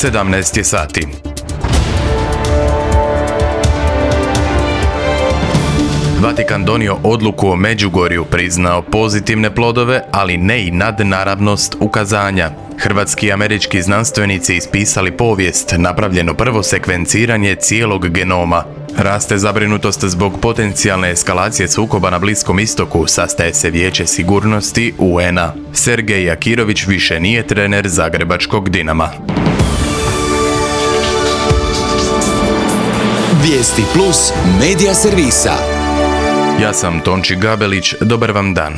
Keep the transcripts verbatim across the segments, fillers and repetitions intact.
sedamnaest je sati. Vatikan donio odluku o Međugorju, priznao pozitivne plodove, ali ne i nadnaravnost ukazanja. Hrvatski i američki znanstvenici ispisali povijest, napravljeno prvo sekvenciranje cijelog genoma. Raste zabrinutost zbog potencijalne eskalacije sukoba na Bliskom istoku, sastaje se Vijeće sigurnosti U N A. Sergej Akirović više nije trener zagrebačkog Dinama. Vijesti plus medija servisa. Ja sam Tonči Gabelić, dobar vam dan.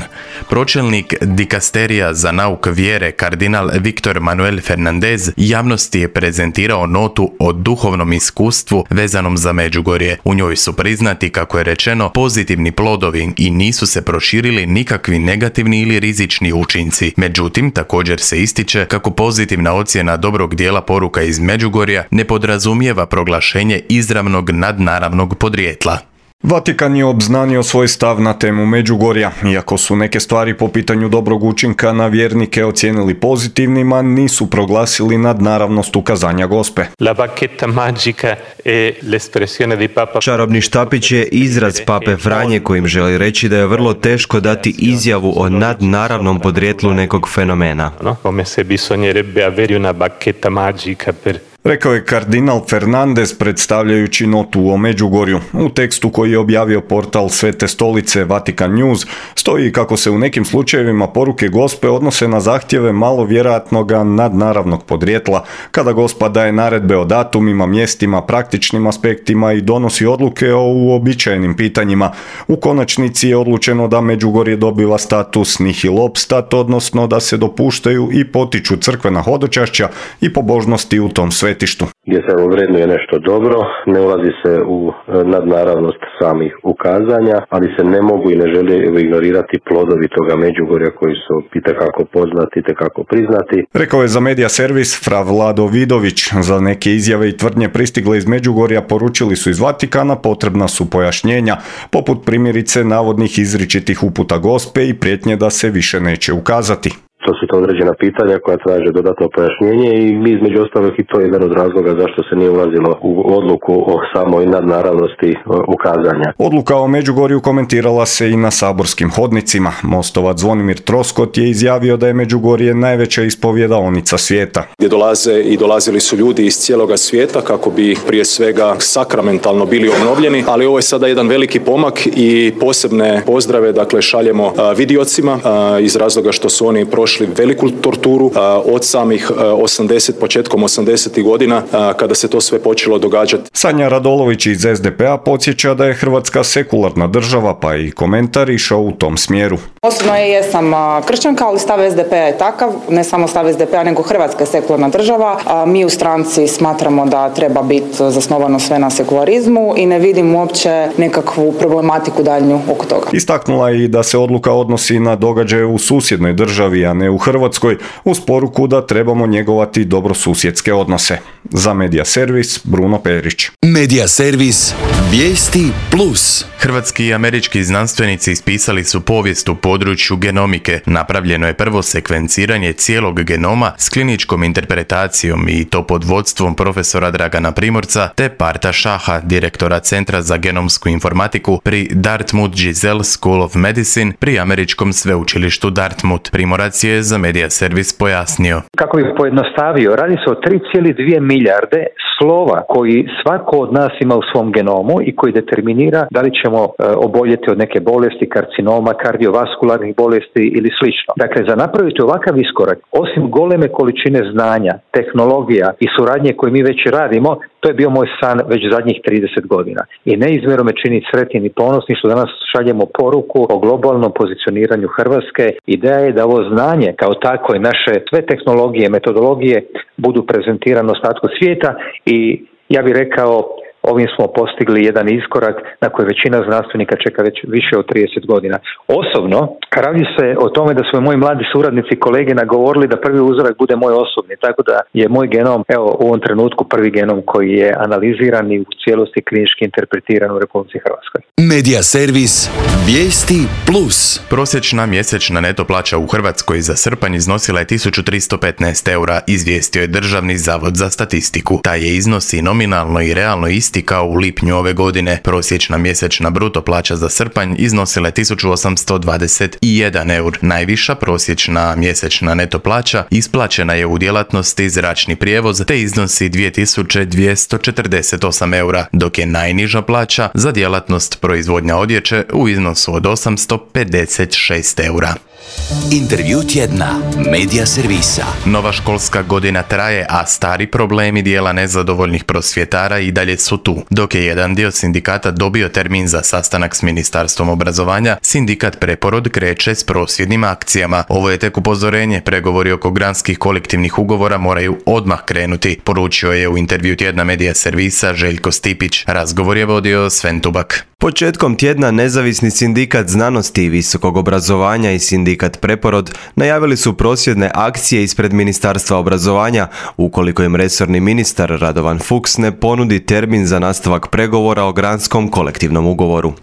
Pročelnik dikasterija za nauk vjere kardinal Viktor Manuel Fernandez javnosti je prezentirao notu o duhovnom iskustvu vezanom za Međugorje. U njoj su priznati, kako je rečeno, pozitivni plodovi i nisu se proširili nikakvi negativni ili rizični učinci. Međutim, također se ističe kako pozitivna ocjena dobrog dijela poruka iz Međugorja ne podrazumijeva proglašenje izravnog nadnaravnog podrijetla. Vatikan je obznanio svoj stav na temu Međugorja. Iako su neke stvari po pitanju dobrog učinka na vjernike ocijenili pozitivnima, nisu proglasili nadnaravnost ukazanja Gospe. Čarobni štapić je izraz pape Franje kojim želi reći da je vrlo teško dati izjavu o nadnaravnom podrijetlu nekog fenomena. Rekao je kardinal Fernandez predstavljajući notu o Međugorju. U tekstu koji je objavio portal Svete stolice Vatikan News stoji kako se u nekim slučajevima poruke Gospe odnose na zahtjeve malo vjerojatnog nadnaravnog podrijetla, kada Gospa daje naredbe o datumima, mjestima, praktičnim aspektima i donosi odluke o uobičajenim pitanjima. U konačnici je odlučeno da Međugorje dobiva status nihil obstat, odnosno da se dopuštaju i potiču crkvena hodočašća i pobožnosti u tom svetu. Gdje se vrednuje nešto dobro, ne ulazi se u nadnaravnost samih ukazanja, ali se ne mogu i ne žele ignorirati plodovi toga Međugorja koji su itekako poznati, itekako priznati. Rekao je za medija servis fra Vlado Vidović. Za neke izjave i tvrdnje pristigle iz Međugorja poručili su iz Vatikana potrebna su pojašnjenja, poput primjerice navodnih izričitih uputa Gospe i prijetnje da se više neće ukazati. To su to određena pitanja koja traže dodatno pojašnjenje i mi između ostalog i to je jedan od razloga zašto se nije ulazilo u odluku o samoj nadnaravnosti ukazanja. Odluka o Međugorju komentirala se i na saborskim hodnicima. Mostovac Zvonimir Troskot je izjavio da je Međugorje najveća ispovjedaonica svijeta. Gdje dolaze i dolazili su ljudi iz cijeloga svijeta kako bi prije svega sakramentalno bili obnovljeni, ali ovo je sada jedan veliki pomak i posebne pozdrave dakle šaljemo vidiocima iz razloga što su oni prošli veliku torturu od samih osamdeset, početkom osamdesetih godina kada se to sve počelo događati. Sanja Radolović iz S D P A podsjeća da je Hrvatska sekularna država, pa i komentar išao u tom smjeru. Osobno ja jesam kršćanka, ali stav S D P A je takav, ne samo stav S D P A, nego Hrvatska je sekularna država. Mi u stranci smatramo da treba biti zasnovano sve na sekularizmu i ne vidim uopće nekakvu problematiku daljnju oko toga. Istaknula je i da se odluka odnosi na događaje u susjednoj državi, a ne u Hrvatskoj, uz poruku da trebamo njegovati dobrosusjedske odnose. Za medija servis Bruno Perić. Medija servis Vijesti plus. Hrvatski i američki znanstvenici ispisali su povijest u području genomike. Napravljeno je prvo sekvenciranje cijelog genoma s kliničkom interpretacijom i to pod vodstvom profesora Dragana Primorca te Parta Šaha, direktora Centra za genomsku informatiku pri Dartmouth Giselle School of Medicine pri američkom sveučilištu Dartmouth. Primorac je za medija servis pojasnio. Kako bi pojednostavio, radi se o tri zarez dvije milijarde slova koji svako od nas ima u svom genomu i koji determinira da li ćemo e, oboljeti od neke bolesti, karcinoma, kardiovaskularnih bolesti ili slično. Dakle, za napraviti ovakav iskorak, osim goleme količine znanja, tehnologija i suradnje koje mi već radimo, to je bio moj san već zadnjih trideset godina. I neizmjerno me čini sretnim i ponosni što danas šaljemo poruku o globalnom pozicioniranju Hrvatske. Ideja je da ovo znanje kao tako i naše sve tehnologije, metodologije budu prezentirane ostatku svijeta i ja bih rekao ovim smo postigli jedan iskorak na koji većina znanstvenika čeka već više od trideset godina. Osobno, radi se o tome da su moji mladi suradnici i kolege nagovorili da prvi uzorak bude moj osobni, tako da je moj genom, evo u ovom trenutku prvi genom koji je analiziran i u cijelosti klinički interpretiran u Republici Hrvatskoj. Medija servis Vijesti plus. Prosječna mjesečna neto plaća u Hrvatskoj za srpanj iznosila je tisuću tristo petnaest eura, izvijestio je Državni zavod za statistiku. Taj je iznos i nominalno i realno isti kao u lipnju ove godine. Prosječna mjesečna bruto plaća za srpanj iznosila je tisuću osamsto dvadeset jedan eur. Najviša prosječna mjesečna neto plaća isplaćena je u djelatnosti zračni prijevoz te iznosi dvije tisuće dvjesto četrdeset osam eura, dok je najniža plaća za djelatnost proizvodnja odjeće u iznosu od osamsto pedeset šest eura. Intervju tjedna Medija servisa. Nova školska godina traje, a stari problemi dijela nezadovoljnih prosvjetara i dalje su tu. Dok je jedan dio sindikata dobio termin za sastanak s Ministarstvom obrazovanja, sindikat Preporod kreće s prosvjednim akcijama. Ovo je tek upozorenje, pregovori oko granskih kolektivnih ugovora moraju odmah krenuti, poručio je u intervju tjedna Medija servisa Željko Stipić. Razgovor je vodio Sven Tubak. Početkom tjedna nezavisni sindikat znanosti i visokog obrazovanja i sindikat Preporod najavili su prosvjedne akcije ispred Ministarstva obrazovanja ukoliko im resorni ministar Radovan Fuchs ne ponudi termin za nastavak pregovora o granskom kolektivnom ugovoru.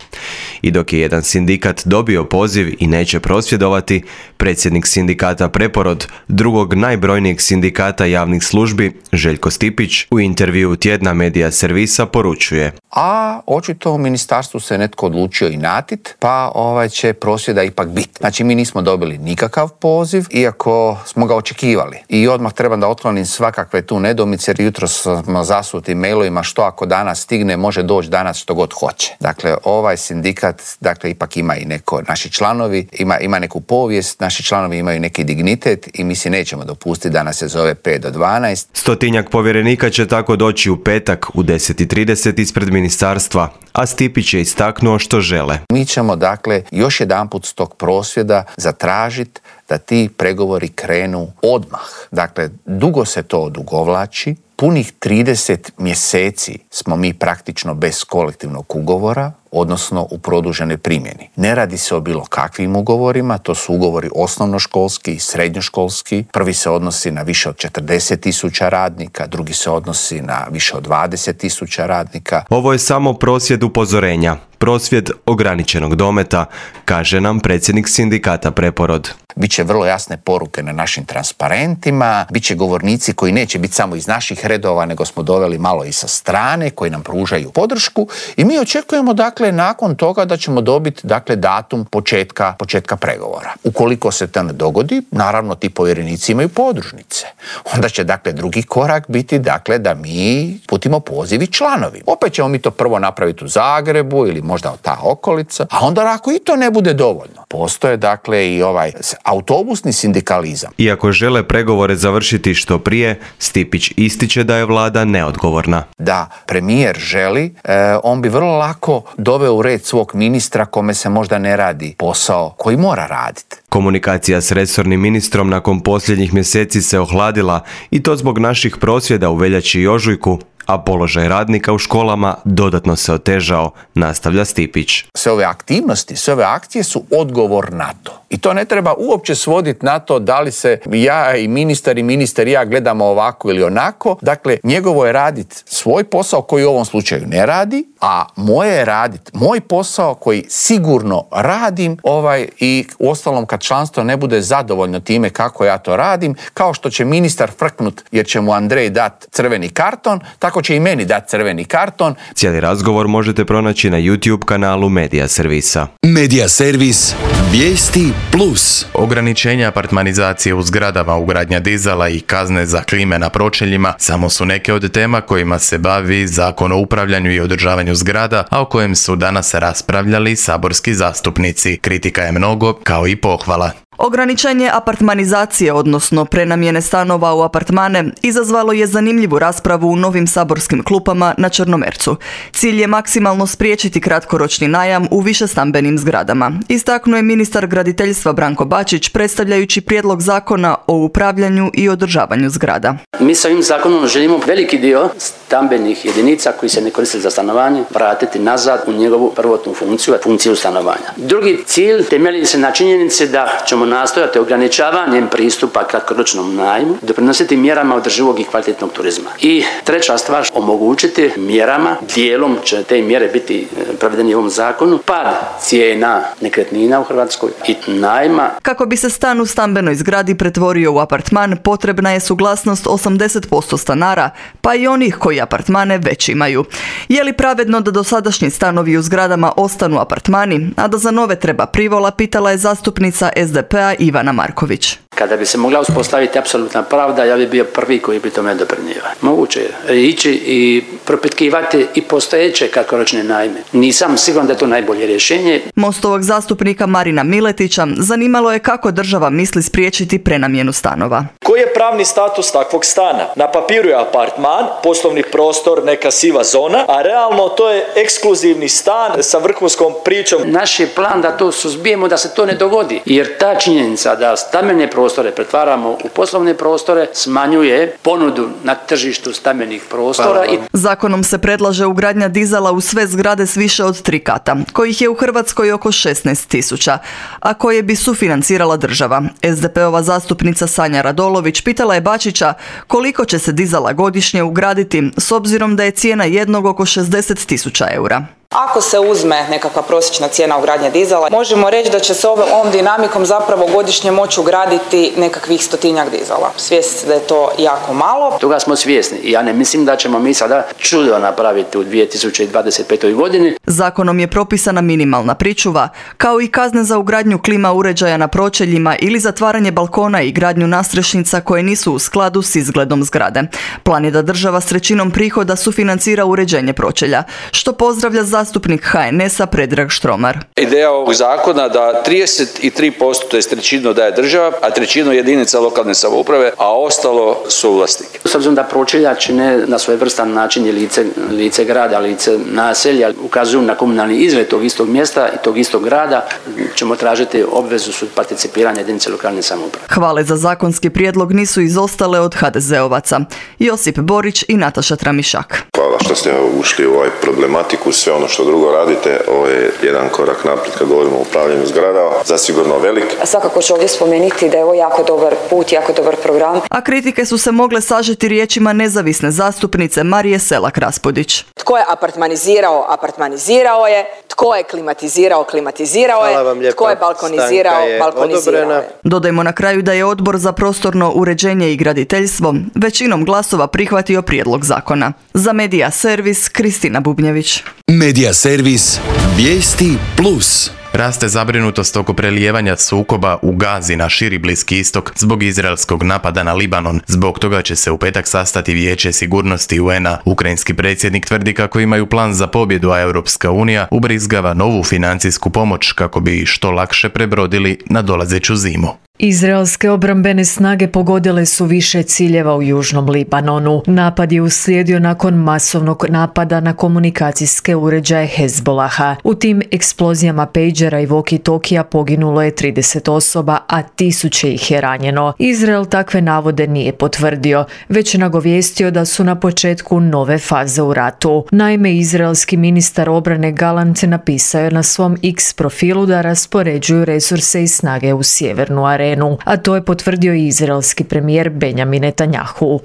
I dok je jedan sindikat dobio poziv i neće prosvjedovati, predsjednik sindikata Preporod, drugog najbrojnijeg sindikata javnih službi, Željko Stipić, u intervju tjedna Medija servisa poručuje: A očito u ministarstvu se netko odlučio inatit, pa ovaj će prosvjeda ipak biti. Znači mi nismo dobili nikakav poziv, iako smo ga očekivali. I odmah trebam da otklonim svakakve tu nedoumice, jer jutro smo zasuti mailovima što ako danas stigne, može doći danas što god hoće. Dakle, ovaj sindikat, dakle, ipak ima i neko, naši članovi, ima, ima neku povijest, naši članovi imaju neki dignitet i mi si nećemo dopustiti da nas se zove pet do dvanaest. Stotinjak povjerenika će tako doći u petak u deset i trideset ispred ministarstva, a Stipić je istaknuo što žele. Mi ćemo, dakle, još jedanput s tog prosvjeda zatražiti da ti pregovori krenu odmah. Dakle, dugo se to odugovlači. Punih trideset mjeseci smo mi praktično bez kolektivnog ugovora, odnosno u produženoj primjeni. Ne radi se o bilo kakvim ugovorima, to su ugovori osnovnoškolski i srednjoškolski. Prvi se odnosi na više od četrdeset tisuća radnika, drugi se odnosi na više od dvadeset tisuća radnika. Ovo je samo prosvjed upozorenja, prosvjed ograničenog dometa, kaže nam predsjednik sindikata Preporod. Biće vrlo jasne poruke na našim transparentima, biće govornici koji neće biti samo iz naših redova, nego smo doveli malo i sa strane, koji nam pružaju podršku i mi očekujemo, dakle, nakon toga da ćemo dobiti, dakle, datum početka, početka pregovora. Ukoliko se to ne dogodi, naravno ti povjerenici imaju podružnice. Onda će, dakle, drugi korak biti, dakle, da mi putimo poziv i članovi. Opet ćemo mi to prvo napraviti u Zagrebu ili možda ta okolica, a onda ako i to ne bude dovoljno, postoje, dakle, i ovaj autobusni sindikalizam. Iako žele pregovore završiti što prije, Stipić ističe da je vlada neodgovorna. Da premijer želi, e, on bi vrlo lako doveo u red svog ministra kome se možda ne radi posao koji mora raditi. Komunikacija s resornim ministrom nakon posljednjih mjeseci se ohladila i to zbog naših prosvjeda u veljači i ožujku, a položaj radnika u školama dodatno se otežao, nastavlja Stipić. Sve ove aktivnosti, sve ove akcije su odgovor na to. I to ne treba uopće svoditi na to da li se ja i ministar i ministar i ja gledamo ovako ili onako. Dakle, njegovo je raditi svoj posao koji u ovom slučaju ne radi, a moje je raditi moj posao koji sigurno radim ovaj, i uostalom kad članstvo ne bude zadovoljno time kako ja to radim, kao što će ministar frknut jer će mu Andrej dat crveni karton, tako će i meni dati crveni karton. Cijeli razgovor možete pronaći na YouTube kanalu Medija servisa. Medija servis Vijesti plus. Ograničenja apartmanizacije u zgradama, ugradnja dizala i kazne za klime na pročeljima samo su neke od tema kojima se bavi Zakon o upravljanju i održavanju zgrada, a o kojem su danas raspravljali saborski zastupnici. Kritika je mnogo, kao i pohvala. Ograničenje apartmanizacije, odnosno prenamjene stanova u apartmane, izazvalo je zanimljivu raspravu u novim saborskim klupama na Črnomercu. Cilj je maksimalno spriječiti kratkoročni najam u višestambenim zgradama. Istaknuo je ministar graditeljstva Branko Bačić predstavljajući prijedlog zakona o upravljanju i održavanju zgrada. Mi sa ovim zakonom želimo veliki dio stambenih jedinica koji se ne koriste za stanovanje vratiti nazad u njegovu prvotnu funkciju, funkciju stanovanja. Drugi cilj temelji se na činjenici da ćemo nastojati ograničavanjem pristupa kratkoročnom najmu doprinositi mjerama održivog i kvalitetnog turizma. I treća stvar, omogućiti mjerama, dijelom će te mjere biti provedeni u ovom zakonu, pad cijena nekretnina u Hrvatskoj i najma. Kako bi se stan u stambenoj zgradi pretvorio u apartman, potrebna je suglasnost osamdeset posto stanara, pa i onih koji apartmane već imaju. Je li pravedno da dosadašnji stanovi u zgradama ostanu apartmani, a da za nove treba privola, pitala je zastupnica es de pe a Ivana Marković. Kada bi se mogla uspostaviti apsolutna pravda, ja bi bio prvi koji bi tome doprinio. Moguće je ići i propitkivati i postojeće kratkoročne najme. Nisam siguran da je to najbolje rješenje. Mostovog zastupnika Marina Miletića zanimalo je kako država misli spriječiti prenamjenu stanova. Koji je pravni status takvog stana? Na papiru je apartman, poslovni prostor, neka siva zona, a realno to je ekskluzivni stan sa vrhunskom pričom. Naš je plan da to suzbijemo, da se to ne dogodi, jer ta činjenica da stambene prostore pretvaramo u poslovne prostore smanjuje ponudu na tržištu stambenih prostora. I... Zakonom se predlaže ugradnja dizala u sve zgrade s više od tri kata, kojih je u Hrvatskoj oko šesnaest tisuća, a koje bi sufinancirala država. es de pe ova zastupnica Sanja Radolović pitala je Bačića koliko će se dizala godišnje ugraditi s obzirom da je cijena jednog oko šezdeset tisuća eura. Ako se uzme nekakva prosječna cijena ugradnje dizala, možemo reći da će se ovom dinamikom zapravo godišnje moći ugraditi nekakvih stotinjak dizala. Svjesni ste da je to jako malo. Toga smo svjesni i ja ne mislim da ćemo mi sada čudo napraviti u dvije tisuće dvadeset petoj godini. Zakonom je propisana minimalna pričuva, kao i kazne za ugradnju klima uređaja na pročeljima ili zatvaranje balkona i gradnju nastrešnica koje nisu u skladu s izgledom zgrade. Plan je da država s trećinom prihoda sufinancira uređenje pročelja, što pozdravlja za zastupnik ha en es a Predrag Štromar. Ideja ovog zakona da trideset tri posto, to je trećinu daje država, a trećinu jedinica lokalne samouprave, a ostalo su vlasnike. S obzirom da pročelja čine na svojevrstan način i lice, lice grada, lice naselja, ukazuju na komunalni izgled tog istog mjesta i tog istog grada, ćemo tražiti obvezu su participiranja jedinice lokalne samouprave. Hvale za zakonski prijedlog nisu izostale od ha de zeovaca. Josip Borić i Nataša Tramišak. Hvala što ste ušli u ovaj problematiku, sve ono što drugo radite, ovo je jedan korak naprijed kad govorimo o upravljanju zgradama, zasigurno velik. Svakako ću ovdje spomenuti da je ovo jako dobar put, jako dobar program. A kritike su se mogle sažeti riječima nezavisne zastupnice Marije Selak Raspudić. Tko je apartmanizirao, apartmanizirao je, tko je klimatizirao, klimatizirao je, tko je balkonizirao, je balkonizirao je. Dodajmo na kraju da je Odbor za prostorno uređenje i graditeljstvo većinom glasova prihvatio prijedlog zakona. Za Medija Servis, Kristina Bubnjević. Medija Servis, vijesti plus. Raste zabrinutost oko prelijevanja sukoba u Gazi na širi Bliski istok zbog izraelskog napada na Libanon. Zbog toga će se u petak sastati Vijeće sigurnosti u en a. Ukrajinski predsjednik tvrdi kako imaju plan za pobjedu, a Europska unija ubrizgava novu financijsku pomoć kako bi što lakše prebrodili nadolazeću zimu. Izraelske obrambene snage pogodile su više ciljeva u južnom Libanonu. Napad je uslijedio nakon masovnog napada na komunikacijske uređaje Hezbolaha. U tim eksplozijama pejđera i walkie-talkija poginulo je trideset osoba, a tisuće ih je ranjeno. Izrael takve navode nije potvrdio, već nagovijestio da su na početku nove faze u ratu. Naime, izraelski ministar obrane Galant napisao je na svom X profilu da raspoređuju resurse i snage u sjevernu arenu. A to je potvrdio i izraelski premijer Benjamin Netanjahu.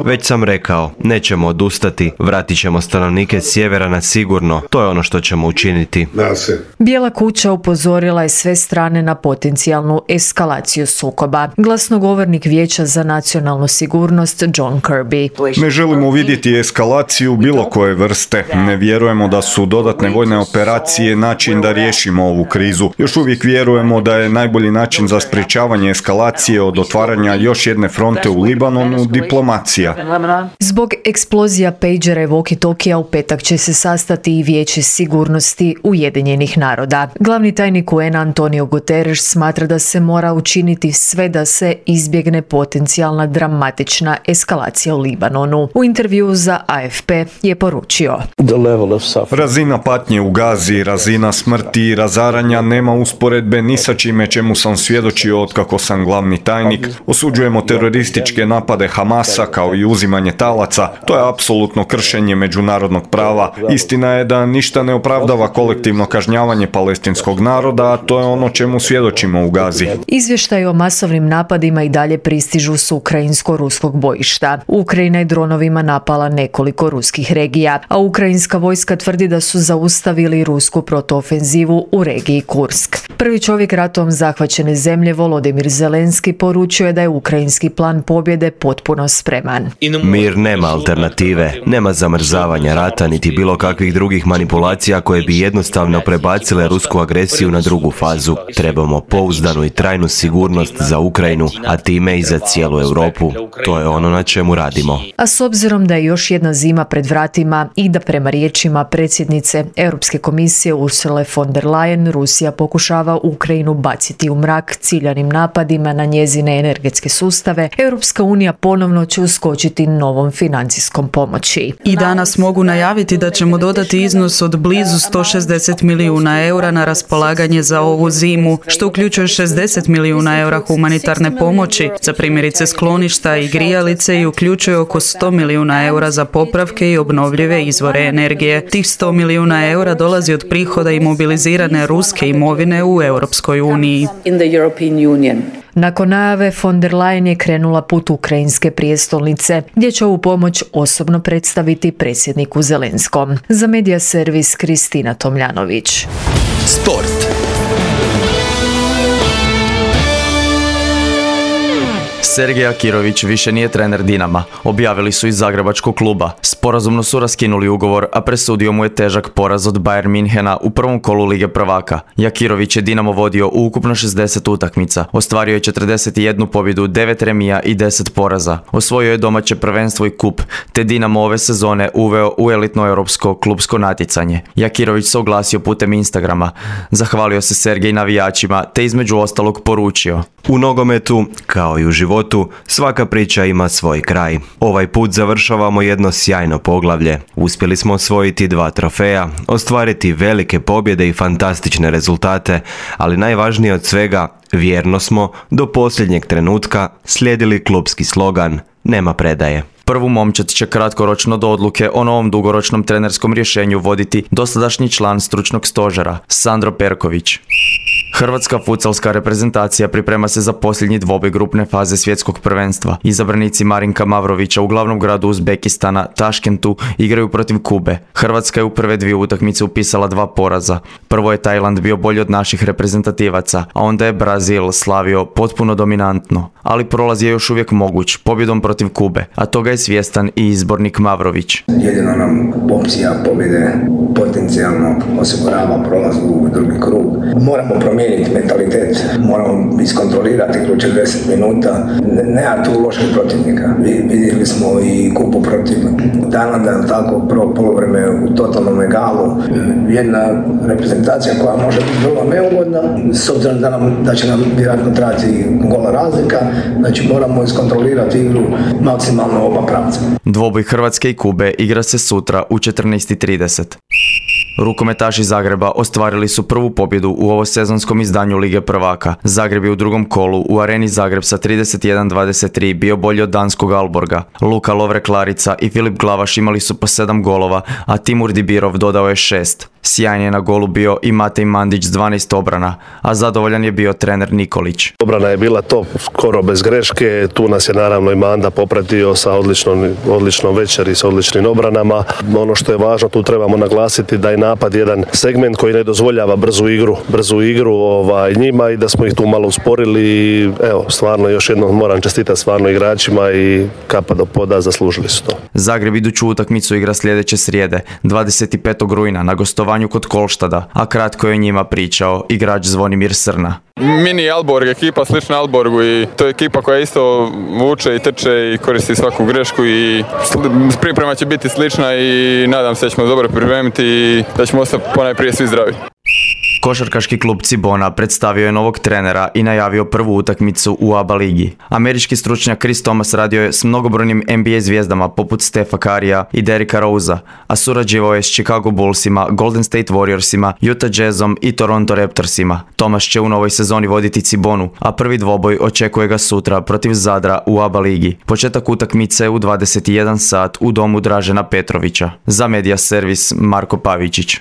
Već sam rekao, nećemo odustati, vratit ćemo stanovnike sjevera na sigurno, to je ono što ćemo učiniti. Bijela kuća upozorila je sve strane na potencijalnu eskalaciju sukoba. Glasnogovornik Vijeća za nacionalnu sigurnost John Kirby. Ne želimo vidjeti eskalaciju bilo koje vrste. Ne vjerujemo da su dodatne vojne operacije način da riješimo ovu krizu. Još uvijek vjerujemo da je najbolji način za sprječavanje sprječavanje eskalacije od otvaranja još jedne fronte u Libanonu diplomacija. Zbog eksplozija pejđera i walkie-talkija u petak će se sastati i Vijeće sigurnosti Ujedinjenih naroda. Glavni tajnik U N-a Antonio Guterres smatra da se mora učiniti sve da se izbjegne potencijalna dramatična eskalacija u Libanonu. U intervjuu za A F P je poručio: Razina patnje u Gazi, razina smrti i razaranja nema usporedbe ni sa čime čemu sam svjedočio otkako sam glavni tajnik. Osuđujemo terorističke napade Hamasa kao i uzimanje talaca. To je apsolutno kršenje međunarodnog prava. Istina je da ništa ne opravdava kolektivno kažnjavanje palestinskog naroda, a to je ono čemu svjedočimo u Gazi. Izvještaj o masovnim napadima i dalje pristižu s ukrajinsko-ruskog bojišta. Ukrajina je dronovima napala nekoliko ruskih regija, a ukrajinska vojska tvrdi da su zaustavili rusku protuofenzivu u regiji Kursk. Prvi čovjek ratom zahvaćene zemlje Volodimir Zelenski poručio je da je ukrajinski plan pobjede potpuno spreman. Mir nema alternative, nema zamrzavanja rata niti bilo kakvih drugih manipulacija koje bi jednostavno prebacile rusku agresiju na drugu fazu. Trebamo pouzdanu i trajnu sigurnost za Ukrajinu, a time i za cijelu Europu. To je ono na čemu radimo. A s obzirom da je još jedna zima pred vratima i da prema riječima predsjednice Europske komisije Ursule von der Leyen Rusija pokušava Ukrajinu baciti u mrak ciljanim napadima na njezine energetske sustave, Europska unija ponovno će uskočiti novom financijskom pomoći. I danas mogu najaviti da ćemo dodati iznos od blizu sto šezdeset milijuna eura na raspolaganje za ovu zimu, što uključuje šezdeset milijuna eura humanitarne pomoći za primjerice skloništa i grijalice i uključuje oko sto milijuna eura za popravke i obnovljive izvore energije. Tih sto milijuna eura dolazi od prihoda imobilizirane ruske imovine u Europskoj uniji. Nakon najave von der Leyen je krenula put ukrajinske prijestolnice, gdje će ovu pomoć osobno predstaviti predsjedniku Zelenskom. Za Medija servis Kristina Tomljanović. Sport. Sergej Akirović više nije trener Dinama, objavili su iz zagrebačkog kluba. Sporazumno su raskinuli ugovor, a presudio mu je težak poraz od Bayern Minhena u prvom kolu Lige prvaka. Jakirović je Dinamo vodio u ukupno šezdeset utakmica, ostvario je četrdeset jednu pobjedu, devet remija i deset poraza. Osvojio je domaće prvenstvo i kup, te Dinamo ove sezone uveo u elitno europsko klubsko natjecanje. Jakirović se oglasio putem Instagrama, zahvalio se Sergej navijačima, te između ostalog poručio: U nogometu, kao i u životu, svaka priča ima svoj kraj. Ovaj put završavamo jedno sjajno poglavlje. Uspjeli smo osvojiti dva trofeja, ostvariti velike pobjede i fantastične rezultate, ali najvažnije od svega, vjerno smo do posljednjeg trenutka slijedili klubski slogan "Nema predaje". Prvu momčad će kratkoročno do odluke o novom dugoročnom trenerskom rješenju voditi dosadašnji član stručnog stožera, Sandro Perković. Hrvatska futsalska reprezentacija priprema se za posljednji dvoboj grupne faze svjetskog prvenstva. Izabranici Marinka Mavrovića u glavnom gradu Uzbekistana, Taškentu, igraju protiv Kube. Hrvatska je u prve dvije utakmice upisala dva poraza. Prvo je Tajland bio bolji od naših reprezentativaca, a onda je Brazil slavio potpuno dominantno. Ali prolaz je još uvijek moguć, pobjedom protiv Kube, a toga je svjestan i izbornik Mavrović. Jedino nam opcija pobjede potencijalno osigurava prolaz u drugi krug. Moramo promijeniti mentalitet, moramo iskontrolirati kroz četrdeset minuta. Nema tu loših protivnika. Vidjeli smo i Kupu protiv Tajlanda, tako prvo poluvreme u totalnom egalu. Jedna reprezentacija koja može biti vrlo neugodna, s obzirom da, nam, da će nam vjerojatno trajati gola razlika, znači moramo iskontrolirati igru maksimalno oba pravca. Dvoboj Hrvatske i Kube igra se sutra u četrnaest i trideset. Rukometaši Zagreba ostvarili su prvu pobjedu u ovosezonskom izdanju Lige prvaka. Zagreb je u drugom kolu u Areni Zagreb sa trideset jedan dvadeset tri bio bolji od danskog Alborga. Luka Lovre-Klarica i Filip Glavaš imali su po sedam golova, a Timur Dibirov dodao je šest. Sjajan je na golu bio i Matej Mandić s dvanaest obrana, a zadovoljan je bio trener Nikolić. Obrana je bila top, skoro bez greške, tu nas je naravno i Manda popratio sa odličnom, odličnom večeri, sa odličnim obranama. Ono što je važno, tu trebamo naglasiti da je napad jedan segment koji ne dozvoljava brzu igru, brzu igru ovaj, njima i da smo ih tu malo usporili i evo, stvarno još jednom moram čestitati stvarno igračima i kapa do poda, zaslužili su to. Zagreb iduću utakmicu igra sljedeće srijede, dvadeset petog rujna na gostovanju gostovanju kod Kolštada, a kratko je o njima pričao igrač Zvonimir Srna. Mini Alborg ekipa slična Alborgu i to je ekipa koja isto vuče i trče i koristi svaku grešku i priprema će biti slična i nadam se da ćemo dobro pripremiti i da ćemo ostati ponajprije svi zdravi. Košarkaški klub Cibona predstavio je novog trenera i najavio prvu utakmicu u A B A ligi. Američki stručnjak Chris Thomas radio je s mnogobrojnim N B A zvijezdama poput Stefa Currya i Derricka Rosea, a surađivao je s Chicago Bullsima, Golden State Warriorsima, Utah Jazzom i Toronto Raptorsima. Thomas će u novoj sezoni voditi Cibonu, a prvi dvoboj očekuje ga sutra protiv Zadra u A B A ligi. Početak utakmice u dvadeset jedan sat u domu Dražena Petrovića. Za Media Servis Marko Pavičić.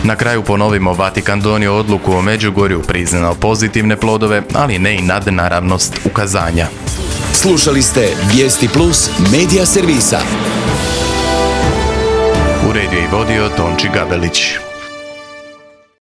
Na kraju ponovimo, Vatikan donio odluku o Međugorju, priznao pozitivne plodove, ali ne i nadnaravnost ukazanja. Slušali ste Vijesti Plus Media Servisa. Uredio i vodio Tonči Gabelić.